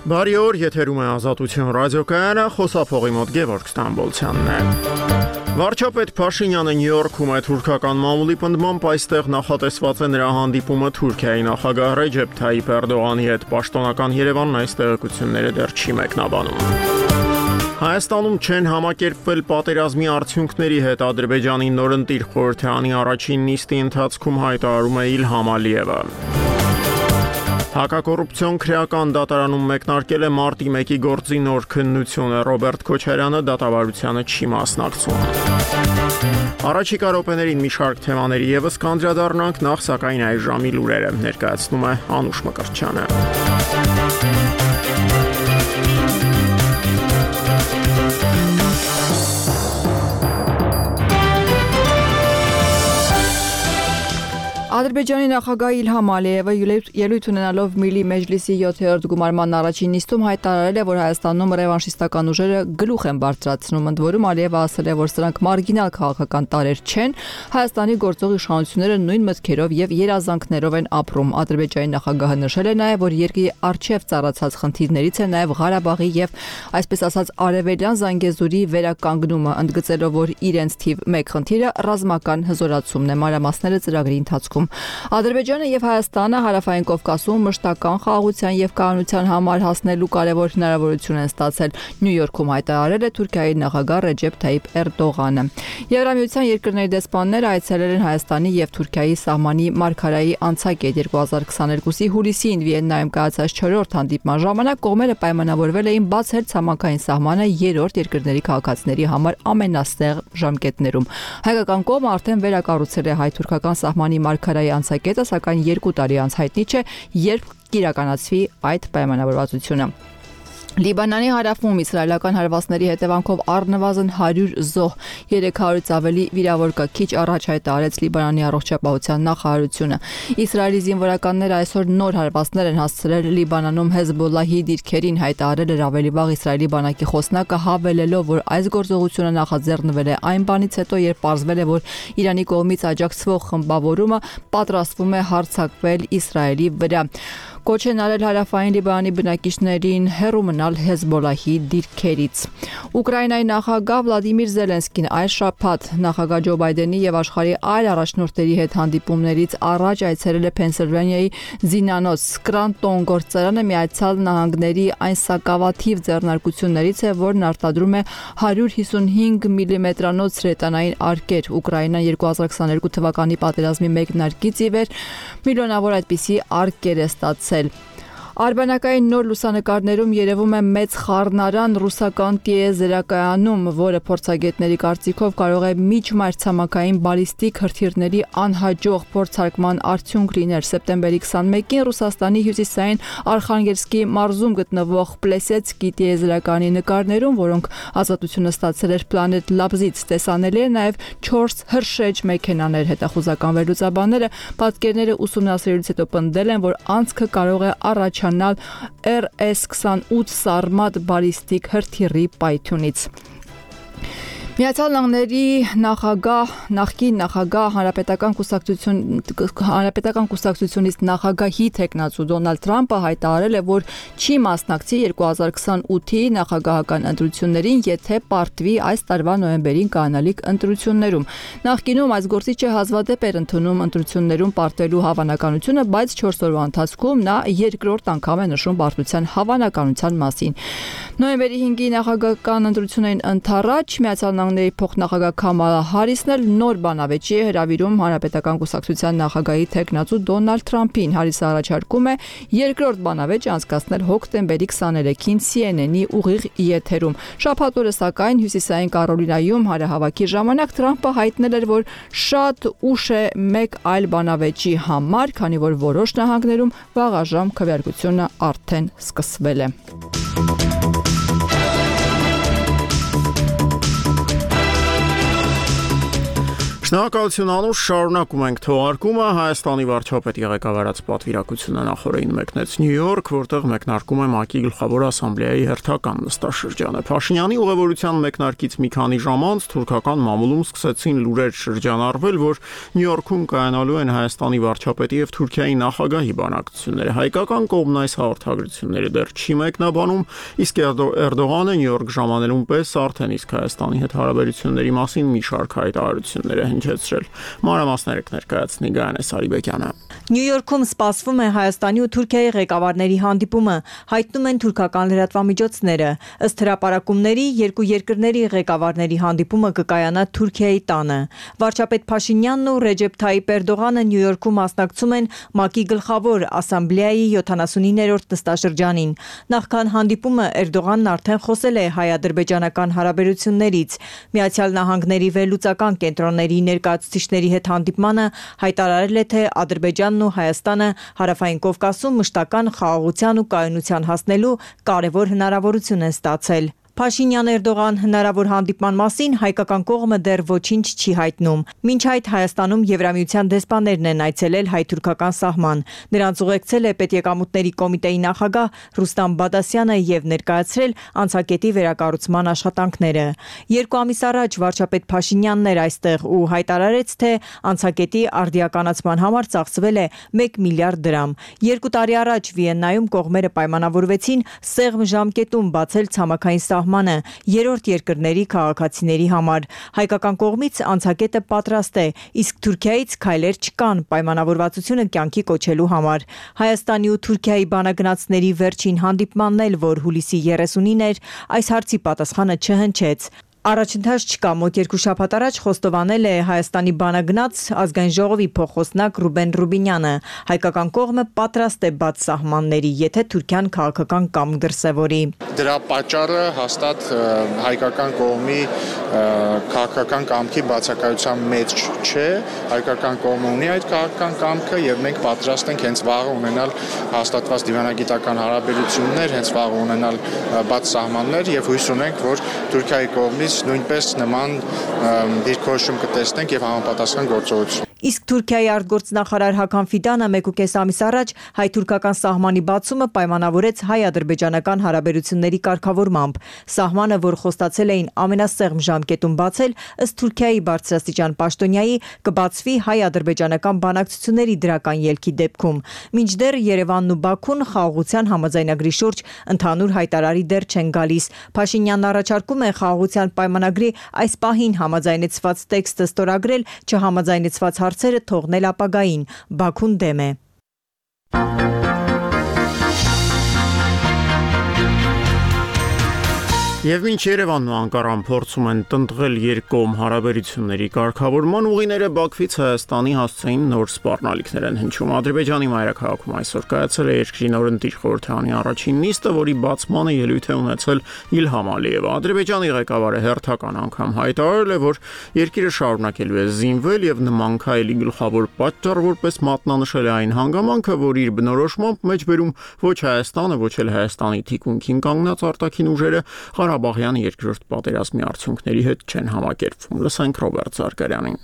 Բարի օր, եթերում է Ազատություն ռադիոկայանը, խոսափողի մոտ Գևորգ Ստամբոլցյանն է։ Վարչապետ Փաշինյանը Նյու Յորքում է թուրքական մամուլի պնդմամբ այստեղ նախատեսված է նրա հանդիպումը Թուրքիայի նախագահ Ռեջեփ Թայիփ Էրդողանի հետ։ Պաշտոնական Երևանն այս տեղեկությունները դեռ չի մեկնաբանում։ Հայաստանում չեն համակերպվել պատերազմի արդյունքների հետ Ադրբեջանի նորընտիր խորհրդարանի առաջին նիստի ընթացքում հայտարարում է Իլհամ Ալիևը։ Հակակոռուպցիոն քրեական դատարանում մեկնարկել է մարտի 1-ի գործի նոր քննությունը, Ռոբերտ Քոչարյանը դատավարությանը չի մասնակցում։ Առաջիկա րոպեներին մի շարք թեմաների ևս կանդրադառնանք, նախ սակայն այս ժամի լուրերը ներկայացնում է Անուշ Մկրտչյանը։ Ադրբեջանի նախագահ Իլհամ Ալիևը ելույթ ունենալով Միլի Մեջլիսի 7-րդ գումարման առաջին նիստում հայտարարել է, որ Հայաստանում ռևանշիստական ուժերը գլուխ են բարձրացնում, ընդ որում Ալիևը ասել է, որ սրանք մարգինալ քաղաքական տարրեր չեն, Հայաստանի գործող իշխանությունները նույն մտքերով եւ երազանքներով են ապրում։ Ադրբեջանի նախագահը նշել է նաեւ, որ երկրի արչեւ ծառացած խնդիրներից է նաեւ Ղարաբաղի եւ այսպես ասած արևելյան Զանգեզուրի վերականգնումը, ընդգծելով, որ իրենց թիվ 1 խնդիրը ռազմական հզորացումն է, մանրամասները ծրագրի ընթացքում։ Ադրբեջանը եւ Հայաստանը Հարավային Կովկասում մշտական խաղաղության եւ կայունության համար հասնելու կարևոր հնարավորություն են ստացել, Նյու Յորքում հայտարարել է Թուրքիայի նախագահ Ռեջեփ Թայիփ Էրդողանը։ Եվրամիության երկրների դեսպանները այցելել են Հայաստանի եւ Թուրքիայի սահմանի մարգարայի անցակետ 2022-ի հուլիսին Վիեննայում կայացած 4-րդ հանդիպման ժամանակ կողմերը պայմանավորվել էին բացել ցամաքային սահմանը երրորդ երկրների քաղաքացիների համար ամենաստեղ ժամկետներում։ Հայկական կողմը արդեն վերակառուցել է հայ-թուրքական սահմանի մարգարայի անցակետը, սակայն 2 տարի անց հայտնի չէ, երբ կիրականացվի այդ պայմանավորվածությունը։ Լիբանանի հարավում իսրայելական հարվածների հետևանքով առնվազն 100 զոհ, 300-ից ավելի վիրավոր կա, քիչ առաջ հայտարարեց Լիբանանի առողջապահության նախարարությունը։ Իսրայելի զինվորականները այսօր նոր հարվածներ են հասցրել Լիբանանում Հեզբոլլահի դիրքերին, հայտարարել էր ավելի վաղ Իսրայելի բանակի խոսնակը, հավելելով, որ այս գործողությունը նախաձեռնվել է այն բանից հետո, երբ պարզվել է, որ Իրանի կողմից աջակցվող խմբավորումը պատրաստվում է հարձակվել Իսրայելի վրա։ Կոչ են արել հարավային Լիբանանի բնակիչներին հեռու մնալ Հեզբոլլահի դիրքերից։ Ուկրաինայի նախագահ Վլադիմիր Զելենսկին այս շաբաթ նախագահ Ջո Բայդենի եւ աշխարհի այլ առաջնորդների հետ հանդիպումներից առաջ այցելել է Փենսիլվանիայի զինանոց Սկրանտոն գործարանը, Միացյալ Նահանգների այն սակավաթիվ ձեռնարկություններից է, որն արտադրում է 155 մմ-անոց հրետանային արկեր։ Ուկրաինան 2022 թվականի պատերազմի մեկնարկից ի վեր միլիոնավոր այդպիսի արկեր է ստացել։ Արբանյակային նոր լուսանկարներում երևում է մեծ խառնարան ռուսական տիեզերակայանում, որը փորձագետների կարծիքով կարող է միջմայրցամաքային բալիստիկ հրթիռների անհաջող փորձարկման արդյունք լինել։ Սեպտեմբերի 21-ին Ռուսաստանի հյուսիսային Արխանգելսկի մարզում գտնվող Պլեսեցկի տիեզերակայանի նկարներում, որոնք ազատությունը ստացել էր Planet Labs-ից, տեսանելի է նաև 4 հրշեջ մեքենաներ։ Հետախուզական վերլուծաբանները պատկերները ուսումնասիրելուց հետո պնդել են, որ անցքը կարող է առաջանալ RS-28 Sarmat բալիստիկ հրթիռի պայթյունից։ Միացյալ Նահանգների նախկին նախագահ հանրապետական կուսակցությունից նախագահի թեկնածու Դոնալդ Թրամփը հայտարարել է, որ չի մասնակցի 2028-ի նախագահական ընտրություններին, եթե պարտվի այս տարվա նոյեմբերին կայանալիք ընտրություններում։ Նախկինում այս գործիչը հազվադեպ էր ընդունում ընտրություններում պարտվելու հավանականությունը, բայց 4 օրվա ընթացքում նա երկրորդ անգամ է նշում պարտության հավանականության մասին։ Նոյեմբերի 5-ի նախագահական ընտրություններին ընդառաջ Միացյալ Նահանգների փոխնախագահ Քամալա Հարիսն էլ նոր բանավեճի է հրավիրում հանրապետական կուսակցության նախագահի թեկնածու Դոնալդ Թրամփին։ Հարիսը առաջարկում է երկրորդ բանավեճը անցկացնել հոկտեմբերի 23-ին CNN-ի ուղիղ եթերում։ Շաբաթ օրը սակայն Հյուսիսային Կարոլինայում հանրահավաքի ժամանակ Թրամփը հայտնել էր, որ շատ ուշ է մեկ այլ բանավեճի համար, քանի որ որոշ նահանգներում վաղաժամ քվեարկությունը արդեն սկսվել է։ Շնորհակալություն Անուշ, շարունակում ենք թողարկումը Հայաստանի վարչապետի ղեկավարած պատվիրակությունը նախորդին մեկնեց Նյու Յորք, որտեղ մեկնարկում է ՄԱԿ-ի գլխավոր ասամբլեայի հերթական նստաշրջանը։ Փաշինյանի ուղևորության մեկնարկից մի քանի ժամ անց թուրքական մամուլում սկսեցին լուրեր շրջանառվել, որ Նյու Յորքում կայանալու են Հայաստանի վարչապետի եւ Թուրքիայի նախագահի բանակցությունները։ Հայկական կողմն այս հաղորդագրությունները դեռ չի մեկնաբանում, իսկ Էրդողանը Նյու Յորք ժամանելուն պես արդեն իսկ Հայաստանի հետ հարաբերությունների մասին մի շարք հայտարարություններ հնչեցրել։ Մանրամասները կներկայացնի Գայանե Սարիբեկյանը։ Նյու Յորքում սպասվում է Հայաստանի ու Թուրքիայի ղեկավարների հանդիպումը, հայտնում են թուրքական լրատվամիջոցները։ Ըստ հրապարակումների, երկու երկրների ղեկավարների հանդիպումը կկայանա Թուրքիայի տանը։ Վարչապետ Փաշինյանն ու Ռեջեփ Թայիպ Էրդողանը Նյու Յորքում մասնակցում են ՄԱԿ-ի գլխավոր ասամբլեայի 79-րդ նստաշրջանին։ Նախքան հանդիպումը Էրդողանն արդեն խոսել է հայ-ադրբեջանական հարաբերություններից։ Միացյալ Նահանգների վերլուծական կենտրոնների ներկայացուցիչների հետ հանդիպմանը հայտարարել է, թե Ադրբեջանն ու Հայաստանը Հարավային Կովկասում մշտական խաղաղության ու կայունության հասնելու կարևոր հնարավորություն են ստացել։ Փաշինյան-Էրդողան հնարավոր հանդիպման մասին հայկական կողմը դեռ ոչինչ չի հայտնում։ Մինչ այդ Հայաստանում Եվրամիության դեսպաններն են այցելել հայ-թուրքական սահման։ Նրանց ուղեկցել է Պետեկամուտների կոմիտեի նախագահ Ռուստամ Բադասյանը եւ ներկայացրել անցակետի վերակառուցման աշխատանքները։ Երկու ամիս առաջ վարչապետ Փաշինյանն էր այստեղ ու հայտարարեց, թե անցակետի արդիականացման համար ծախսվել է 1 միլիարդ դրամ։ 2 տարի առաջ Վիեննայում կողմերը պայմանավորվեցին սեղմ ժամկետում բացել ցամաքային սահմանը երրորդ երկրների քաղաքացիների համար։ Հայկական կողմից անցակետը պատրաստ է, իսկ Թուրքիայից քայլեր չկան պայմանավորվածությունը կյանքի կոչելու համար։ Հայաստանի ու Թուրքիայի բանագնացների վերջին հանդիպմանն էլ, որ հուլիսի 30-ին էր, այս հարցի պատասխանը չհնչեց։ Առաջընթաց չկա, մոտ 2 շաբաթ առաջ խոստովանել է Հայաստանի բանագնաց ազգային ժողովի փոխխոսնակ Ռուբեն Ռուբինյանը։ Հայկական կողմը պատրաստ է բաց սահմանների, եթե Թուրքիան քաղաքական կամք դրսևորի։ Դրա պատճառը հաստատ հայկական կողմի քաղաքական կամքի բացակայության մեջ չէ։ Հայկական կողմը ունի այդ քաղաքական կամքը եւ մենք պատրաստ ենք հենց վաղը ունենալ հաստատված դիվանագիտական հարաբերություններ, հենց վաղը ունենալ բաց սահմաններ եւ հույս ունենք, որ Թուրքիայի կողմից նույնպես նման դիրքորոշում կտեսնենք եւ համապատասխան գործողություն։ Իսկ Թուրքիայի արտգործնախարար Հական Ֆիդանը 1.5 ամիս առաջ հայ-թուրքական սահմանի բացումը պայմանավորեց հայ-ադրբեջանական հարաբերությունների կարգավորմամբ։ Սահմանը, որ խոստացել էին ամենասեղմ ժամկետում բացել, ըստ Թուրքիայի բարձրաստիճան պաշտոնյայի, կբացվի հայ-ադրբեջանական բանակցությունների դրական ելքի դեպքում։ Մինչդեռ Երևանն ու Բաքուն խաղաղության համաձայնագրի շուրջ ընդհանուր հայտարարի դեռ չեն գալիս։ Փաշինյանն առաջարկում է խաղաղության պայմանագրի այս պահին համաձայնեցված տեքստը ստորագրել, չհամաձայնեցված հարցերը թողնել ապագային։ Բաքուն դեմ է։ Եվ մինչ Երևանն ու Անկարան փորձում են տնտղել երկկողմ հարաբերությունների կարգավորման ուղիները, Բաքվից Հայաստանի հասցեին նոր սպառնալիքներ են հնչում։ Ադրբեջանի մայրաքաղաքում այսօր կայացել է երկրի նորընտիր խորհրդարանի առաջին նիստը, որի բացմանը ելույթ է ունեցել Իլհամ Ալիևը։ Ադրբեջանի ղեկավարը հերթական անգամ հայտարարել է, որ երկիրը շարունակելու է զինվել եւ նման քայլի գլխավոր պատճառ որպես մատնանշել է այն հանգամանքը, որ իր բնորոշմամբ մեջբերում ոչ Հայաստանը, ոչ էլ Հայաստանի թիկունքին կանգնած արտաքին ուժերը Ղարաբաղյան երկրորդ պատերազմի արդյունքների հետ չեն համակերպվում։ Լսենք Ռոբերտ Զարգարյանին։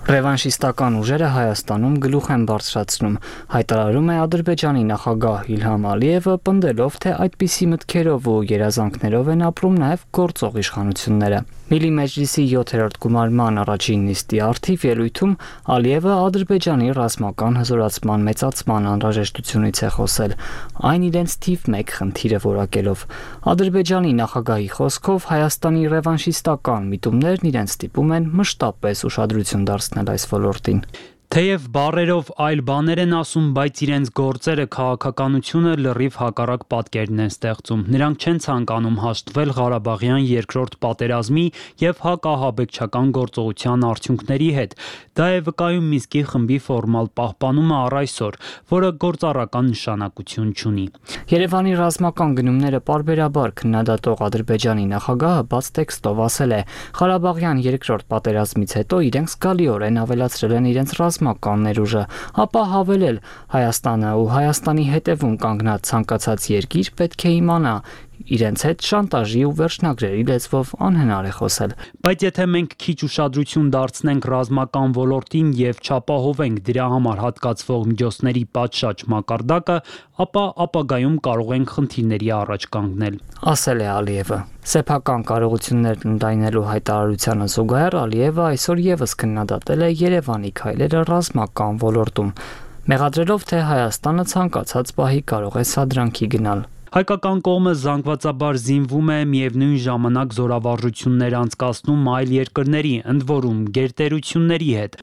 Ռևանշիստական ուժերը Հայաստանում գլուխ են բարձրացնում, հայտարարում է Ադրբեջանի նախագահ Իլհամ Ալիևը, պնդելով, թե այդպիսի մտքերով ու երազանքներով են ապրում նաև գործող իշխանությունները։ Միլի Մեջլիսի 7-րդ գումարման առաջին նիստի առթիվ ելույթում Ալիևը Ադրբեջանի ռազմական հզորացման մեծացման անհրաժեշտությունից է խոսել, այն իրենց թիվ 1 խնդիրը որակելով։ Ադրբեջանի նախագահի խոսքով Հայաստանի ռևանշիստական միտումներն իրենց ստիպում են մշտապես ուշադրություն դարձնել այս ոլորտին։ Թեև բառերով այլ բաներ են ասում, բայց իրենց գործերը քաղաքականությունը լրիվ հակառակ պատկերն են ստեղծում։ Նրանք չեն ցանկանում հաշտվել Ղարաբաղյան երկրորդ պատերազմի եւ հակահաբեկչական գործողության արդյունքների հետ։ Դա է վկայում Մինսկի խմբի ֆորմալ պահպանումը առ այսօր, որը գործառական նշանակություն չունի։ Երևանի ռազմական գնումները պարբերաբար քննադատող Ադրբեջանի նախագահը բաց տեքստով ասել է. Ղարաբաղյան երկրորդ պատերազմից հետո իրենք զգալիորեն ավելացրել են իրենց ռազմական ներուժը, ապա հավելել Հայաստանը ու Հայաստանի հետևում կանգնած ցանկացած երկիր պետք է իմանա իրենց հետ շանտաժի ու վերջնագրերի լեզվով անհնար է խոսել։ Բայց եթե մենք քիչ ուշադրություն դարձնենք ռազմական ոլորտին եւ չապահովենք դրա համար հատկացվող միջոցների պատշաճ մակարդակը, ապա ապագայում կարող ենք խնդիրների առաջ կանգնել, ասել է Ալիևը։ Սեփական կարողություններ ընդայնելու հայտարարությանը զուգահեռ Ալիևը այսօր եւս քննադատել է Երևանի քայլերը ռազմական ոլորտում, մեղադրելով, թե Հայաստանը ցանկացած պահի կարող է սադրանքի գնալ։ Հայկական կողմը զանգվածաբար զինվում է, միևնույն ժամանակ զորավարժություններ անցկացնում այլ երկրների, ընդ որում գերտերությունների հետ։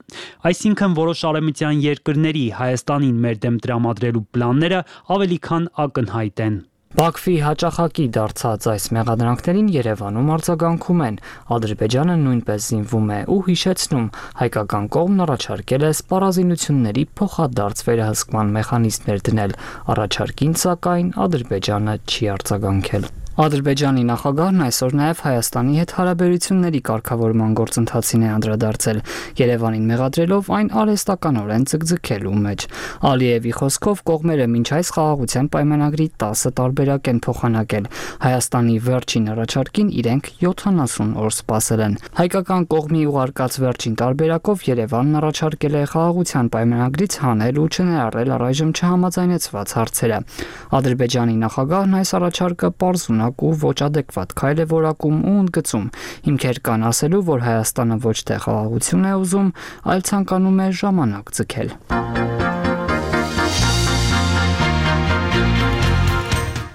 Այսինքն որոշ արևմտյան երկրների Հայաստանին մեր դեմ տրամադրելու պլանները ավելի քան ակնհայտ են։ Բաքվի հաճախակի դարձած այս մեղադրանքներին Երևանում արձագանքում են։ Ադրբեջանը նույնպես զինվում է ու հիշեցնում, հայկական կողմն առաջարկել է սպառազինությունների փոխադարձ վերահսկման մեխանիզմներ դնել։ Առաջարկին, սակայն Ադրբեջանը չի արձագանքել։ Ադրբեջանի նախագահն այսօր նաև Հայաստանի հետ հարաբերությունների կարգավորման գործընթացին է անդրադարձել, Երևանին մեղադրելով այն արհեստականորեն ձգձգելու մեջ։ Ալիևի խոսքով կողմերը մինչ այս խաղաղության պայմանագրի 10 տարբերակ են փոխանակել։ Հայաստանի վերջին առաջարկին իրենք 70 օր սպասել են։ Հայկական կողմի ուղարկած վերջին տարբերակով Երևանն առաջարկել է խաղաղության պայմանագրից հանել ու չներառել առայժմ չհամաձայնեցված հարցերը։ Ադրբեջանի նախագահն այս առաջարկը պարզում ու ոչ ադեկվատ քայլ է որակում ու ընդգծում։ Հիմքեր կան ասելու, որ Հայաստանը ոչ թե խաղաղություն է ուզում, այլ ցանկանում է ժամանակ ձգել։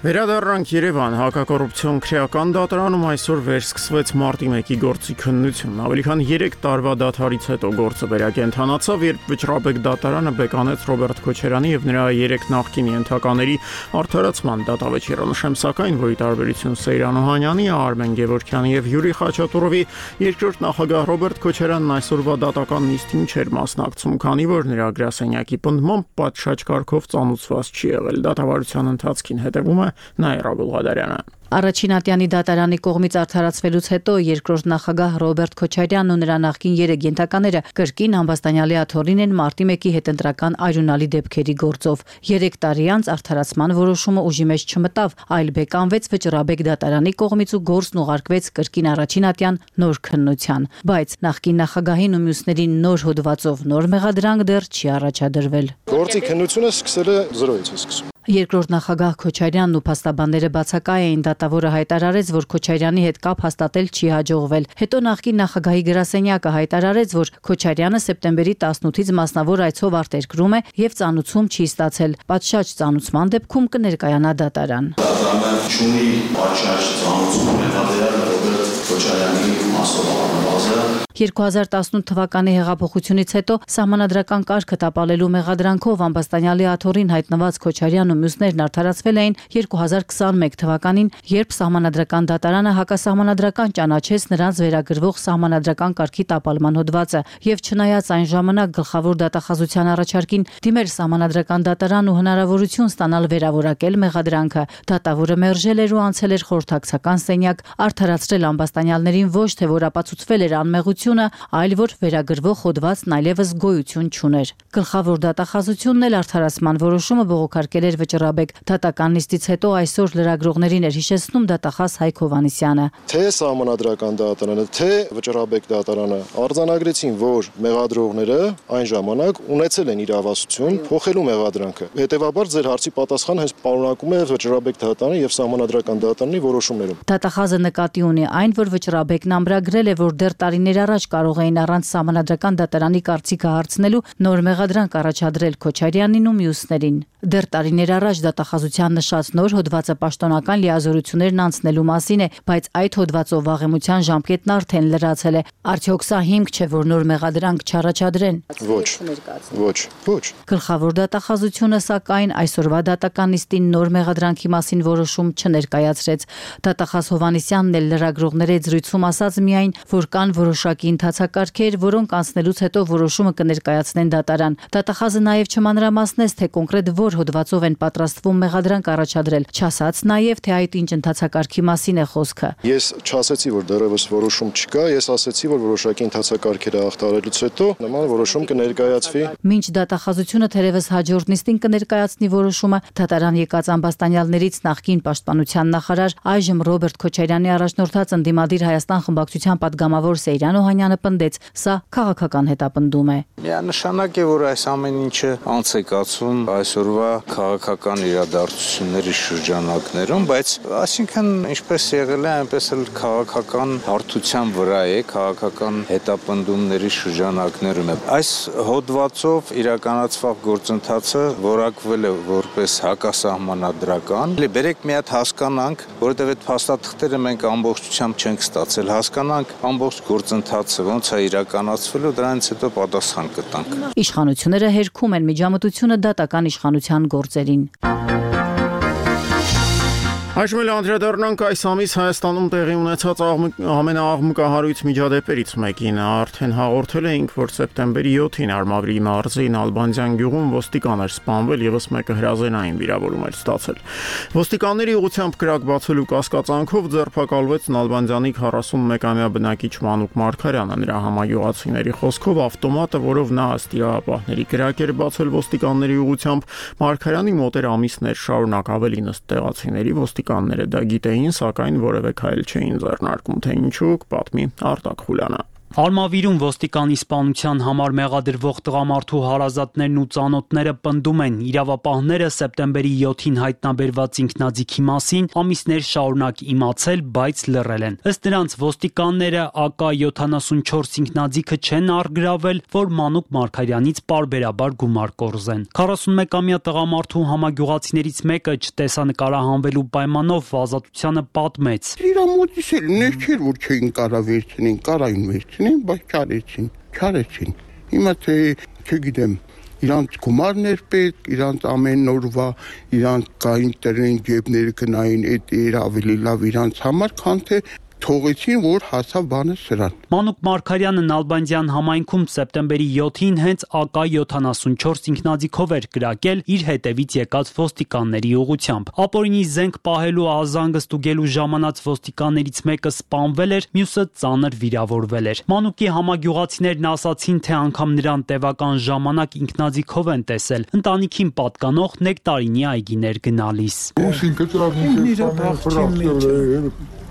Վերադառնանք Երևան, հակակոռուպցիոն քրեական դատարանում այսօր վերսկսվեց մարտի 1-ի գործի քննությունն։ Ավելի քան 3 տարվա դադարից հետո գործը վերակենդանացավ, երբ Վճռաբեկ դատարանը բեկանեց Ռոբերտ Քոչարյանի եւ նրա 3 նախկին ենթակաների արդարացման դատավճիռը։ Նշեմ սակայն, որ ի տարբերություն Սեյրան Օհանյանի, Արմեն Գևորգյանի եւ Յուրի Խաչատուրովի, երկրորդ նախագահ Ռոբերտ Քոչարյանն այսօրվա դատական նիստին չէր մասնակցում, քանի որ նրա գրասենյակի պնդմամբ պատշաճ կարգով ծանուցված չի եղել։ Դատավարության ընթացքին հետևում է Նաիրա Գուլղադարյանը։ Առաջին ատյանի դատարանի կողմից արդարացվելուց հետո երկրորդ նախագահ Ռոբերտ Քոչարյանն ու նրա նախկին 3 ենթակաները կրկին ամբաստանյալի աթոռին են մարտի 1-ի հետընտրական այրունալի դեպքերի գործով։ 3 տարի անց արդարացման որոշումը ուժի մեջ չմտավ, այլ բեկանվեց Վճռաբեկ դատարանի կողմից ու գործն ուղարկվեց կրկին առաջին ատյան նոր քննության։ Բայց նախկին նախագահին ու մյուսներին նոր հոդվածով նոր մեղադրանք դեռ չի առաջադրվել։ Գործի քննությունը սկսել է 0-ից սկսում։ Երկրորդ նախագահ Քոչարյանն ու փաստաբանները բացակայ էին, դատավորը հայտարարեց, որ Քոչարյանի հետ կապ հաստատել չի հաջողվել։ Հետո նախկին նախագահի գրասենյակը հայտարարեց, որ Քոչարյանը սեպտեմբերի 18-ից մասնավոր այցով արտերկրում է եւ ծանուցում չի ստացել։ Պատշաճ ծանուցման դեպքում կներկայանա դատարան։ Դատարանը չունի պատշաճ ծանուցում մեղադրյալ Ռոբերտ Քոչարյանի մասնավորաբազը 2018 թվականի հեղափոխությունից հետո սահմանադրական կարգը տապալելու մեղադրանքով ամբաստանյալի աթոռին հայտնված Քոչարյանն ու մյուսներն արդարացվել էին 2021 թվականին, երբ սահմանադրական դատարանը հակասահմանադրական ճանաչեց նրանց վերագրվող սահմանադրական կարգի տապալման հոդվածը եւ չնայած այն ժամանակ գլխավոր դատախազության առաջարկին դիմել սահմանադրական դատարան ու հնարավորություն ստանալ վերավորակել մեղադրանքը, դատավորը մերժել էր ու անցել էր խորհրդակցական սենյակ, արդարացրել ամբաստանյալներին ոչ թե որ ապացուցվել էր անմեղությունը, այլ որ վերագրվող հոդվածն այլևս գոյություն չուներ։ Գլխավոր դատախազությունն էլ արդարացման որոշումը բողոքարկել էր Վճռաբեկ դատական նիստից հետո այսօր լրագրողներին էր հիշեցնում դատախազ Հայկ Հովհաննիսյանը։ Թե սահմանադրական դատարանը, թե Վճռաբեկ դատարանը արձանագրեցին, որ մեղադրողները այն ժամանակ ունեցել են իրավասություն փոխելու մեղադրանքը։ Հետևաբար ձեր հարցի պատասխանը հենց պարունակում է Վճռաբեկ դատարանի եւ սահմանադրական դատարանի որոշումներում։ Դատախազը նկատի ունի այն, որ Վճռաբեկն ամրագրել է, որ դեռ տարիներ առաջ կարող էին առանց սահմանադրական դատարանի կարծիքը հարցնելու նոր մեղադրանք առաջադրել Քոչարյանին ու մյուսներին։ Դեռ տարիներ առաջ դատախազության նշած նոր հոդվածը պաշտոնական լիազորություններն անցնելու մասին է, բայց այդ հոդվածով վաղեմության ժամկետն արդեն լրացել է։ Արդյոք սա հիմք չէ, որ նոր մեղադրանք չառաջադրեն։ Ոչ։ Գլխավոր դատախազությունը սակայն այսօրվա դատական նիստին նոր մեղադրանքի մասին որոշում չներկայացրեց։ Դատախազ Հովհաննիսյանն էլ լրագրողների զրույցում ասաց միայն, որ կան կան որոշակի ընթացակարգեր, որոնք անցնելուց հետո որոշումը կներկայացնեն դատարան։ Դատախազը նաև չմանրամասնեց, թե կոնկրետ որ հոդվածով են պատրաստվում մեղադրանք առաջադրել, չասաց նաև, թե այդ ինչ ընթացակարգի մասին է խոսքը։ Ես չասեցի, որ դեռևս որոշում չկա, ես ասեցի, որ որոշակի ընթացակարգերը հաղթահարելուց հետո նման որոշում կներկայացվի։ Մինչ դատախազությունը թերևս հաջորդ նիստին կներկայացնի որոշումը, դատարան եկած ամբաստանյալներից նախկին պաշտպանության նախարար, այժմ Ռոբերտ Քոչարյանի առաջնորդած ընդդիմադիր Հայաստան խմբակցության պատգամավոր Սեյրան Օհանյանը պնդեց, սա քաղաքական հետապնդում է։ Միանշանակ է, որ այս ամեն ինչը անց է կացվում այսօրվա քաղաքական իրադարձությունների շրջանակներում, բայց այսինքն ինչպես եղել է, այնպես էլ քաղաքական հարթության վրա է, քաղաքական հետապնդումների շրջանակներում է։ Այս հոդվածով իրականացված գործընթացը որակվել է որպես հակասահմանադրական։ Բերեք մի հատ հասկանանք, որովհետև այդ փաստաթղթերը մենք ամբողջությամբ չենք ստացել, հասկանանք ամբողջ գործընթացը ոնց է իրականացվելու, դրանից հետո պատասխան կտանք։ Իշխանությունները հերքում են միջամտությունը դատական իշխանության գործերին։ Այժմ էլ անդրադառնանք այս ամիս Հայաստանում տեղի ունեցած ամենաաղմկահարույց միջադեպերից մեկին։ Արդեն հաղորդել էինք, որ սեպտեմբերի 7-ին Արմավրի մարզի Նալբանդյան գյուղում ոստիկան էր սպանվել, ևս մեկը հրազենային վիրավորում էր ստացել։ Ոստիկանների ուղղությամբ կրակ բացելու կասկածանքով ձերբակալվեց Նալբանդյանի 41-ամյա բնակիչ Մանուկ Մարգարյանը։ Նրա համագյուղացիների խոսքով ավտոմատը, որով նա ըստ իրավապահների կրակ էր բացել ոստիկանների ուղղությամբ, Մարգարյանի մոտ էր ամիսներ շարունակ, ավելին ըստ տեղացիների ոստիկանները դա գիտեին, սակայն որևէ քայլ չէին ձեռնարկում, թե ինչու, կպատմի Արտակ Խուլյանը։ Արմավիրում ոստիկանի սպանության համար մեղադրվող տղամարդու հարազատներն ու ծանոթները պնդում են, իրավապահները սեպտեմբերի 7-ին հայտնաբերված ինքնաձիգի մասին ամիսներ շարունակ իմացել, բայց լռել են։ Ըստ նրանց ոստիկանները AK-74 ինքնաձիգը չեն առգրավել, որ Մանուկ Մարգարյանից պարբերաբար գումար կորզեն։ 41-ամյա տղամարդու համագյուղացիներից մեկը չտեսանկարահանվելու պայմանով ազատությանը պատմեց. Իրա մոտից էլ ներքեր որ չէին կարա վերցնին, կարային վերցնին, բայց չարեցին։ Հիմա թե չգիտեմ, իրանց գումարներ պետք, իրանց ամեն օրվա, իրանց կային տրեն ջեբները գնային, այդ էր ավելի լավ իրանց համար, քան թե թողեցին, որ հասավ բանը սրան։ Մանուկ Մարգարյանը Նալբանդյան համայնքում սեպտեմբերի 7-ին հենց AK-74 ինքնաձիգով էր կրակել իր հետևից եկած ոստիկանների ուղղությամբ։ Ապօրինի զենք պահելու ազանգը ստուգելու ժամանած ոստիկաններից մեկը սպանվել էր, մյուսը ծանր վիրավորվել էր։ Մանուկի համագյուղացիներն ասացին, թե անգամ նրան տևական ժամանակ ինքնաձիգով են տեսել, ընտանիքին պատկանող նեկտարինի այգիներ գնալիս։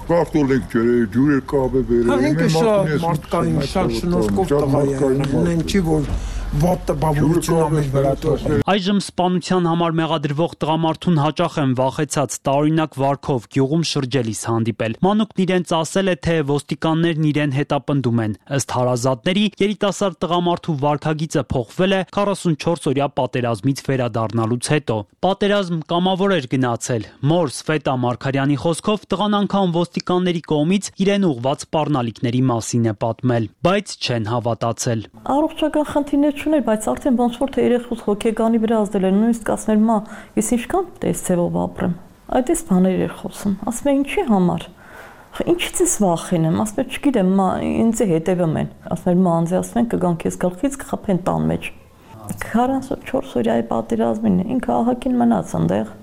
Կարտոլեք ջրե, ջուրը կաբե բերել։ Ինքը շատ մարդկային, շատ շնորհքով տղա է, ունեն չի, որ վատը բավականություն ամեն վրա թողել։ Այժմ սպանության համար մեղադրվող տղամարդուն հաճախ են վախեցած տարօրինակ վարքով գյուղում շրջելիս հանդիպել։ Մանուկն իրենց ասել է, թե ոստիկաններն իրեն հետապնդում են։ Ըստ հարազատների, երիտասարդ տղամարդու վարքագիծը փոխվել է 44-օրյա պատերազմից վերադառնալուց հետո։ Պատերազմ կամավոր էր գնացել։ Մոր Սվետա Մարգարյանի խոսքով տղան անգամ ոստիկանների կողմից իրեն ուղված սպառնալիքների մասին է պատմել, բայց չեն հավատացել։ Առողջական խնդիրներ չուներ, բայց արդեն ոնց որ թե երեխուց հոգեգանի վրա ազդել են, նույնիսկ ասներ մա, ես ինչքան տես ձևով ապրեմ։ Այդպես բաներ էր խոսում։ Ասում է ինչի համար։ Ինչից ես վախենում, ասում է չգիտեմ, մա ինձ հետևում են։ Ասում մա անձի ասում են կգան քեզ գլխից կխփեն տան մեջ։ 44 օրյայի պատերազմին ինքը ահագին մնաց այնտեղ։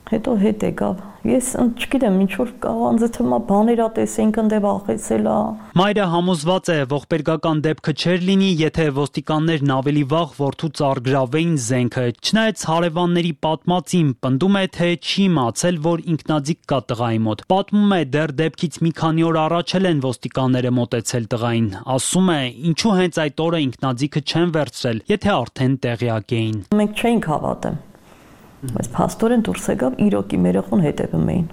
Հետո հետ եկավ։ Ես չգիտեմ, ինչ որ անձը թվում է բաներ ատեսենք ընդե վախեցել է։ Մայրը համոզված է, ողբերգական դեպքը չէր լինի, եթե ոստիկաններն ավելի վաղ որդուց առգրավեին զենքը։ Չնայած հարևանների պատմածին պնդում է, թե չի իմացել, որ ինքնաձիգ կա տղայի մոտ։ Պատմում է, դեռ դեպքից մի քանի օր առաջ են ոստիկանները մոտեցել տղային։ Ասում է, ինչու հենց այդ օրը ինքնաձիգը չեն վերցրել, եթե արդեն տեղյակ էին։ Մենք չէինք հավատում։ Բայց փաստորեն դուրս եկավ իրոքի երեխուն հետևում էին։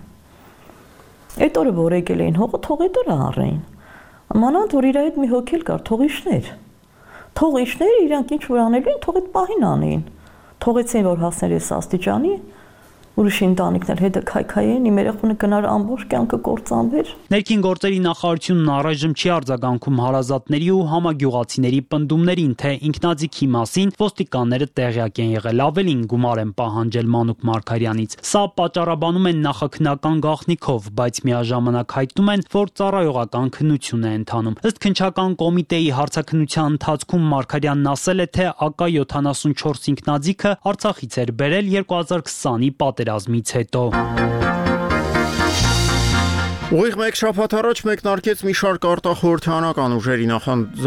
Այդ օրը որ եկել էին հողը, թող այդ օրը առեին։ Մանավանդ որ իր հետ մի հոգել կար, թողիշներ։ Թողիշները իրանք ինչ որ անելու են, թող այդ պահին անեին։ Թողեցին որ հասներ էս աստիճանի, ուրիշ ընտանիքներ հետը քայքայեն, իմ երեխուն կնար ամբողջ կյանքը կործանվեր։ Ներքին գործերի նախարարությունն առայժմ չի արձագանքում հարազատների ու համագյուղացիների պնդումներին, թե ինքնաձիգի մասին ոստիկանները տեղյակ են եղել, ավելին գումար են պահանջել Մանուկ Մարգարյանից։ Սա պատճառաբանում են նախաքննական գաղտնիքով, բայց միաժամանակ հայտնում են, որ ծառայողական քննություն է ընթանում։ Ըստ քննչական կոմիտեի հարցաքննության ընթացքում Մարգարյանն ասել է, թե AK-74 ինքնաձիգը Արցախից էր բերել 2020-ի պատերազմից հետո։ Ուղիղ մեկ շաբաթ առաջ մեկնարկեց մի շարք արտախորհրդանական ուժերի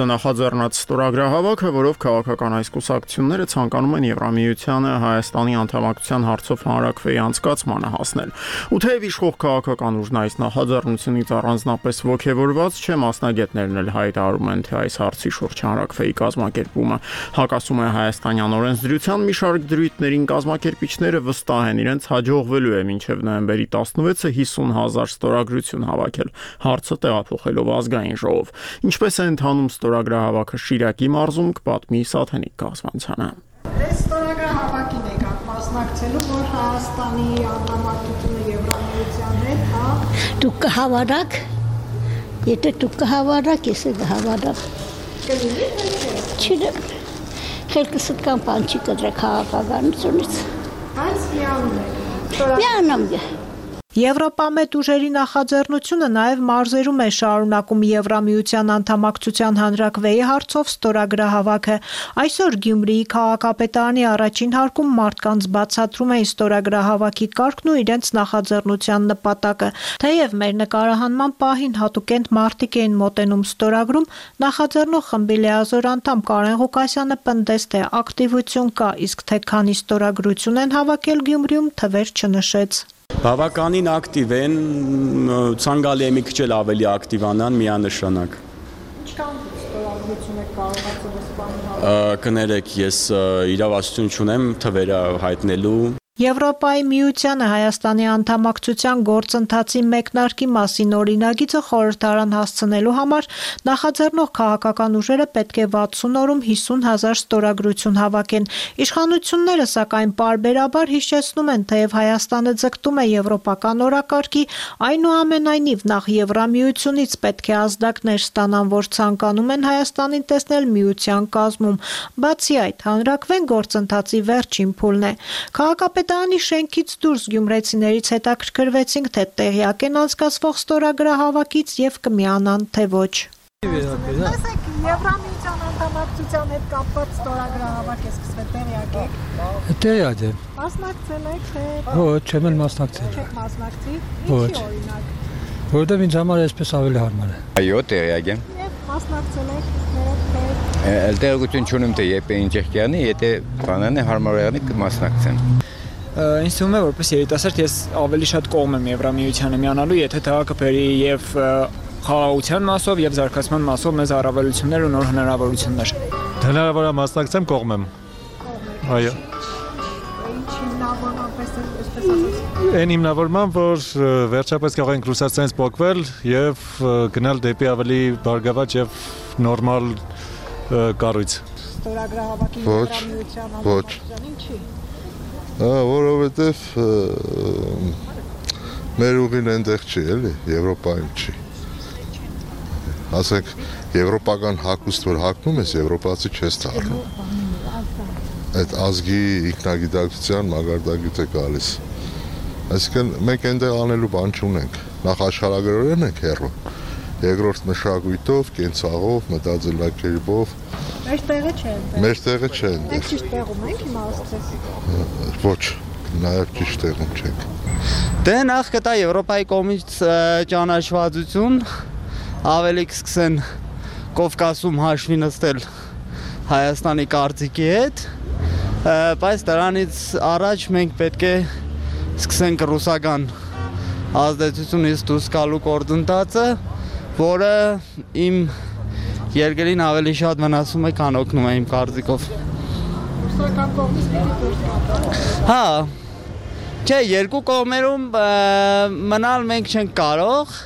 նախաձեռնած ստորագրահավաքը, որով քաղաքական այս կուսակցությունները ցանկանում են Եվրամիությանը Հայաստանի անդամակցության հարցով հանրակրվեի անցկացմանը հասնել։ Ու թեև իշխող քաղաքական ուժն այս նախաձեռնությունից առանձնապես ոգևորված չէ, մասնագետներն էլ հայտարարում են, թե այս հարցի շուրջ հանրակրվեի կազմակերպումը հակասում է հայաստանյան օրենսդրության մի շարք դրույթներին, կազմակերպիչները վստահ են իրենց հաջողվելու է մինչև նոյեմբերի 16-ը 50,000 ստորագրություն հավաքել, հարցը տեղափոխելով ազգային ժողով։ Ինչպես է ընթանում ստորագրահավաքը Շիրակի մարզում, կպատմի Սաթենիկ Կազմանցյանը։ Այս ստորագրահավաքին եկաք մասնակցելու, որ Հայաստանի անդամակցությունը Եվրամիության հետ, հա։ Դուք կհավարաք, եթե դուք կհավարաք, ես էլ կհավարամ։ Կլինի թե չէ։ Խելքս կամ բան չի կտրեք քաղաքականությունից։ Բայց միանում եք։ Միանում եք։ Եվրոպամետ ուժերի նախաձեռնությունը նաև մարզերում է շարունակում Եվրամիության անդամակցության հանրակրվեի հարցով ստորագրահավաքը։ Այսօր Գյումրիի քաղաքապետարանի առաջին հարկում մարդկանց բացատրում էին ստորագրահավաքի կարգն ու իրենց նախաձեռնության նպատակը։ Թեև մեր նկարահանման պահին հատուկենտ մարդիկ էին մոտենում ստորագրում, նախաձեռնող խմբի լիազոր անդամ Կարեն Ղուկասյանը պնդեց, թե ակտիվություն կա, իսկ թե քանի ստորագրություն են հավաքել Գյումրիում, թվեր չնշեց։ Բավականին ակտիվ են, ցանկալի է մի քիչ ավելի ակտիվանան միանշանակ։ Ինչքան ստորագրություն եք կարողացել սպանել։ Կներեք, ես իրավասություն չունեմ թվերը հայտնելու։ Եվրոպայի միությանը Հայաստանի անդամակցության գործընթացի մեկնարկի մասին օրինագիծը խորհրդարան հասցնելու համար նախաձեռնող քաղաքական ուժերը պետք է 60 օրում 50,000 ստորագրություն հավաքեն։ Իշխանությունները սակայն պարբերաբար հիշեցնում են, թեև Հայաստանը ձգտում է եվրոպական օրակարգի, այնուամենայնիվ նախ Եվրամիությունից պետք է ազդակներ ստանան, որ ցանկանում են Հայաստանին տեսնել միության կազմում։ Բացի այդ, հանրակրվեն գործընթացի վերջին փուլն է։ Քաղաքապետարանի շենքից դուրս գյումրեցիներից հետաքրքրվեցինք, թե տեղյակ են անցկացվող ստորագրահավաքից եւ կմիանան, թե ոչ։ Տեսեք, Եվրամիության անդամակցության հետ կապված ստորագրահավաք է սկսվել, տեղյակ եք։ Տեղյակ եմ։ Մասնակցել եք, թե Ոչ, չեմ մասնակցել։ Չեք մասնակցի։ Ինչի օրինակ։ Որովհետև ինձ համար այսպես ավելի հարմար է։ Այո, տեղյակ եմ։ Եվ մասնակցել եք, թե Տեղեկություն չունեմ, թե երբ է ինչ եղանի, եթե բանան է հարմար եղանի կմասնակցեմ։ Ինձ թվում է, որպես երիտասարդ ես ավելի շատ կողմ եմ Եվրամիությանը միանալու, եթե դա կբերի եւ խաղաղության մասով եւ զարգացման մասով մեզ առավելություններ ու նոր հնարավորություններ։ Հնարավոր է մասնակցեմ, կողմ եմ։ Այո։ Այն հիմնավորման, որ վերջապես կարող ենք ռուսաստանից փոխվել եւ գնալ դեպի ավելի բարգավաճ եւ նորմալ կառույց։ Ստորագրահավաքի Եվրամիության անդամակցության ինչի։ Որովհետև մեր ուղին այնտեղ չի, էլի, Եվրոպայում չի։ Ասենք, եվրոպական հագուստ, որ հագնում ես, եվրոպացի չես դառնում։ Այդ ազգի ինքնագիտակցության մագարտագիծ է գալիս։ Այսինքն մենք այնտեղ անելու բան չունենք։ Նախ աշխարհագրորեն ենք հեռու։ Երկրորդ մշակույթով, կենցաղով, մտածելակերպով։ Մեր տեղը չէ այնտեղ։ Մեր տեղը չէ այնտեղ։ Մենք ճիշտ տեղում ենք հիմա ասես։ Ոչ, նաև ճիշտ տեղում չենք։ Դե նախ կտա Եվրոպայի կողմից ճանաչվածություն, ավելի կսկսեն Կովկասում հաշվի նստել Հայաստանի կարծիքի հետ, բայց դրանից առաջ մենք պետք է սկսենք ռուսական ազդեցությունից դուրս գալու գործընթացը, որը իմ երկրին ավելի շատ վնասում է, քան օգնում է իմ կարծիքով։ Ռուսական կողմից պիտի դուրս գալ։ Հա, չէ, երկու կողմերում մնալ մենք չենք կարող,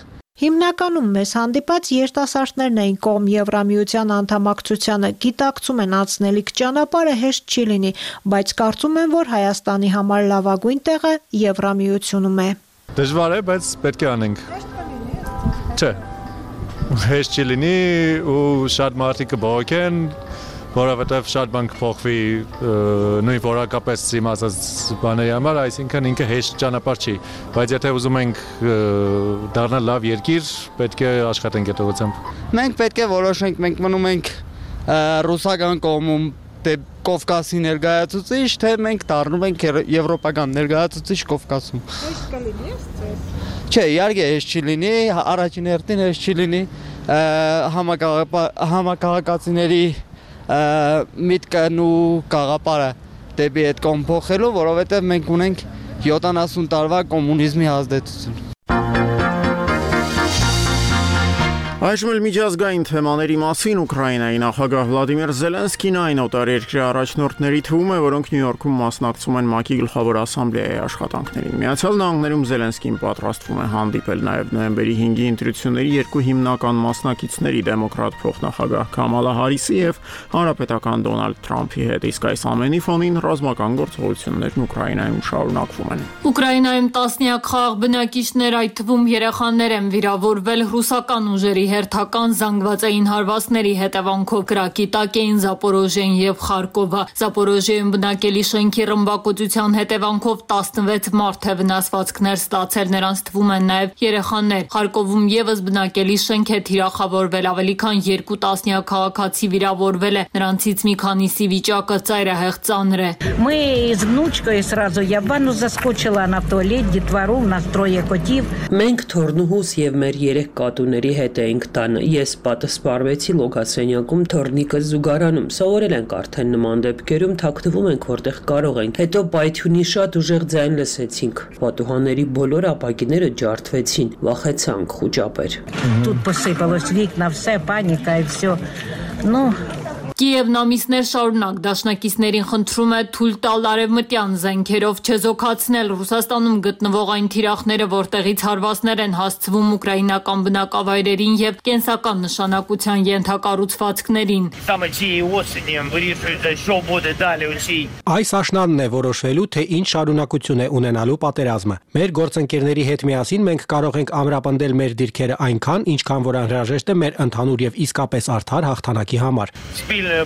Հիմնականում մեզ հանդիպած երիտասարդներն էին կողմ Եվրամիության անդամակցությանը, գիտակցում են անցնելիք ճանապարհը հեշտ չի լինի, բայց կարծում են, որ Հայաստանի համար լավագույն տեղը Եվրամիությունում է։ Դժվար է, բայց պետք է անենք։ Չէ։ Հեշտ չի լինի ու շատ մարդիկ կբողոքեն, որովհետև շատ բան կփոխվի նույն որակապես իմացած բաների համար, այսինքն ինքը հեշտ ճանապարհ չի, բայց եթե ուզում ենք դառնալ լավ երկիր, պետք է աշխատենք այդ ուղղությամբ։ Մենք պետք է որոշենք, մենք մնում ենք ռուսական կողմում Կովկասի ներկայացուցիչ, թե մենք դառնում ենք եվրոպական ներկայացուցիչ Կովկասում։ Հեշտ կլինի, չէ, իհարկե հեշտ չի լինի, առաջին հերթին հեշտ չի լինի համակարգացիների միտքն ու գաղափարը դեպի այդ կողմ փոխելու, որովհետև մենք ունենք 70 տարվա կոմունիզմի ազդեցություն։ Այժմ էլ միջազգային թեմաների մասին Ուկրաինայի նախագահ Վլադիմիր Զելենսկին այն օտարերկրյա առաջնորդների թվում է, որոնք Նյու Յորքում մասնակցում են ՄԱԿ-ի գլխավոր ասամբլեայի աշխատանքներին։ Միացյալ Նահանգներում Զելենսկին պատրաստվում է հանդիպել նաև նոյեմբերի 5-ի ընտրությունների երկու հիմնական մասնակիցների՝ դեմոկրատ փոխնախագահ Քամալա Հարիսի եւ հանրապետական Դոնալդ Թրամփի հետ, իսկ այս ամենի ֆոնին ռազմական գործողություններն Ուկրաինայում շարունակվում են։ Ուկրաինայում տասնյակ խաղաղ բնակիչներ, այդ թվում երեխաներ են վիրավորվել ռուսական ուժերի հերթական զանգվածային հարվածների հետևանքով կրակի տակ էին Զապորոժիեն եւ Խարկովը։ Զապորոժիեում բնակելի շենքի ռմբակոծության հետևանքով 16 մարդ է վնասվածքներ ստացել, նրանց թվում են նաեւ երեխաներ։ Խարկովում եւս бնակելի շենք է թիրախավորվել, ավելի քան 2 տասնյակ քաղաքացի վիրավորվել է, նրանցից մի քանիսի վիճակը ծայրահեղ ծանր է։ Мы с внучкой сразу я в ванну заскочила на туалет, детвору, у нас 3 котів։ Մենք թորնուհուս եւ մեր 3 կատուների հետ էինք տանը։ Ես պատասխանեցի լոգասենյակում թորնիկը զուգարանում։ Սովորել ենք արդեն նման դեպքերում թաքնվում ենք որտեղ կարող ենք։ Հետո պայթյունի շատ ուժեղ ձայն լսեցինք։ Պատուհանների բոլոր ապակիները ջարդվեցին։ Վախեցանք խուճապեր։ Тут посыпалось вікна, все паніка і все. Ну Կիևն ամիսներ շարունակ դաշնակիցներին խնդրում է թույլ տալ արևմտյան զենքերով չեզոքացնել Ռուսաստանում գտնվող այն թիրախները, որտեղից հարվածներ են հասցվում ուկրաինական բնակավայրերին եւ կենսական նշանակության ենթակառուցվածքներին։ Այս աշնանն է որոշվելու, թե ինչ շարունակություն է ունենալու պատերազմը։ Մեր գործընկերների հետ միասին մենք կարող ենք ամրապնդել մեր դիրքերը այնքան, ինչքան որ անհրաժեշտ է մեր ընդհանուր եւ իսկապես արդար հաղթանակի համար։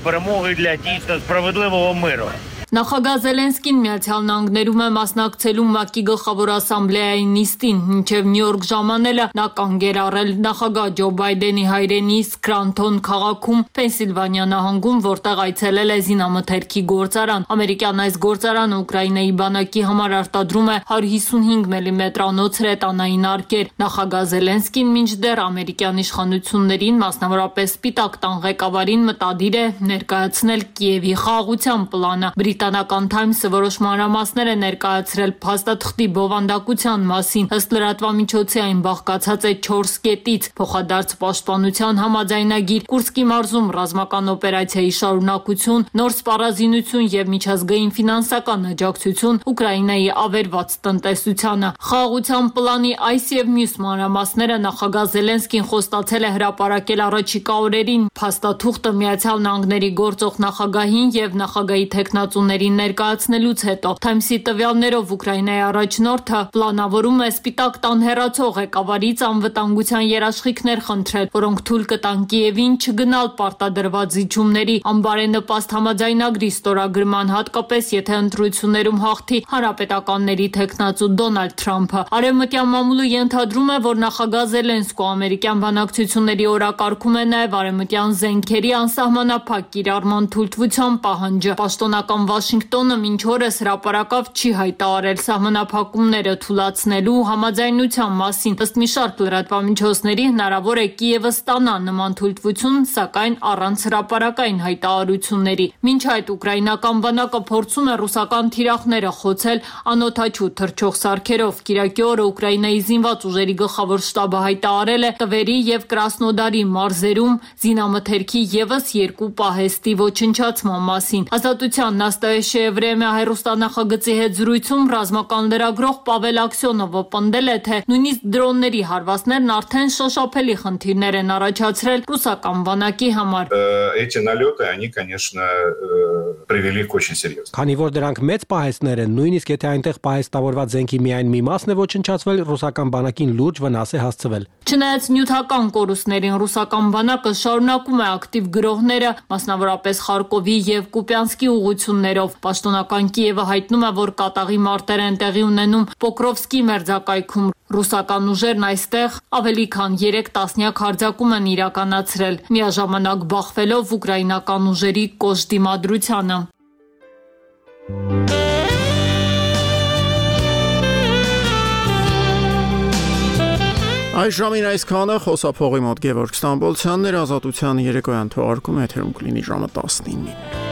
Перемоги для дійсно справедливого миру. Նախագահ Զելենսկին Միացյալ Նահանգներում է մասնակցելու ՄԱԿ-ի գլխավոր ասամբլեայի նիստին, մինչև Նյու Յորք ժամանելը նա կանգ էր առել նախագահ Ջո Բայդենի հայրենի Սկրանթոն քաղաքում, Պենսիլվանիա նահանգում, որտեղ այցելել է զինամթերքի գործարան։ Ամերիկյան այս գործարանը Ուկրաինայի բանակի համար արտադրում է 155 մմ-անոց հրետանային արկեր։ Նախագահ Զելենսկին մինչդեռ ամերիկյան իշխանություններին, մասնավորապես Սպիտակ տան ղեկավարին մտադիր է ներկայացնել Կիևի խաղաղության պլանը։ Բրիտանական Times-ը որոշ մանրամասներ է ներկայացրել փաստաթղթի բովանդակության մասին, ըստ լրատվամիջոցի այն բաղկացած է 4 կետից՝ փոխադարձ պաշտպանության համաձայնագիր, Կուրսկի մարզում ռազմական օպերացիայի շարունակություն, նոր սպառազինություն եւ միջազգային ֆինանսական աջակցություն Ուկրաինայի ավերված տնտեսությանը։ Խաղաղության պլանի այս եւ մյուս մանրամասները նախագահ Զելենսկին խոստացել է հրապարակել առաջիկա օրերին։ Փաստաթուղթը Միացյալ Նահանգների գործող նախագահին եւ նախագահի տեխնացուներին ներկայացնելուց հետո Times-ի տվյալներով Ուկրաինայի առաջնորդը պլանավորում է Սպիտակ տան հեռացող ղեկավարից անվտանգության երաշխիքներ խնդրել, որոնք թույլ կտան Կիևին չգնալ պարտադրված զիջումների անբարենպաստ համաձայնագրի ստորագրման, հատկապես եթե ընտրություններում հաղթի հանրապետականների տեխնացու Դոնալդ Թրամփը։ Արևմտյան մամուլը ենթադրում է, որ նախագահ Զելենսկու ամերիկյան բանակցությունների օրակարգում է նաև արևմտյան զենքերի անսահմանափակ կիրառման թույլտվության պահանջը։ Պաշտոնական Վաշինգտոնը մինչ օրս հրապարակավ չի հայտարարել սահմանափակումները թույլատնելու համաձայնության մասին։ Ըստ մի շարք լրատվամիջոցների հնարավոր է Կիևը ստանա նման թույլտվություն, սակայն առանց հրապարակային հայտարարությունների։ Մինչ այդ ուկրաինական բանակը փորձում է ռուսական թիրախները խոցել անօդաչու թռչող սարքերով։ Կիրակի օրը Ուկրաինայի զինված ուժերի գլխավոր շտաբը հայտարարել է Տվերի եւ Կրասնոդարի մարզերում զինամթերքի եւս 2 պահեստի ոչնչացման մասին։ Ազատության նաստ «Настоящее время» հեռուստանախագծի հետ զրույցում ռազմական լրագրող Պավել Աքսյոնովը պնդել է, թե նույնիսկ դրոնների հարվածներն արդեն շոշափելի խնդիրներ են առաջացրել ռուսական բանակի համար։ Эти налеты, они, конечно, привели к очень серьезно. Քանի որ դրանք մեծ պահեստներ են, նույնիսկ եթե այնտեղ պահեստավորված զենքի միայն մի մասն է ոչնչացվել, ռուսական բանակին լուրջ վնաս է հասցվել։ Չնայած նյութական կորուստներին ռուսական բանակը շարունակում է ակտիվ գրոհները, մասնավորապես Խարկովի եւ Կուպյանսկի ուղություններով։ Պաշտոնական Կիևը հայտնում է, որ կատաղի մարտեր են տեղի ունենում Պոկրովսկի մերձակայքում։ Ռուսական ուժերն այստեղ ավելի քան 3 տասնյակ հարձակում են իրականացրել, միաժամանակ բախվելով ուկրաինական ուժերի կոշտ դիմադրությանը։ Այս ժամին այսքանը խոսափողի մոտ Գևորգ Ստամբոլցյանն էր, Ազատության երեկոյան թողարկումը եթերում կլինի ժամը 19-ին։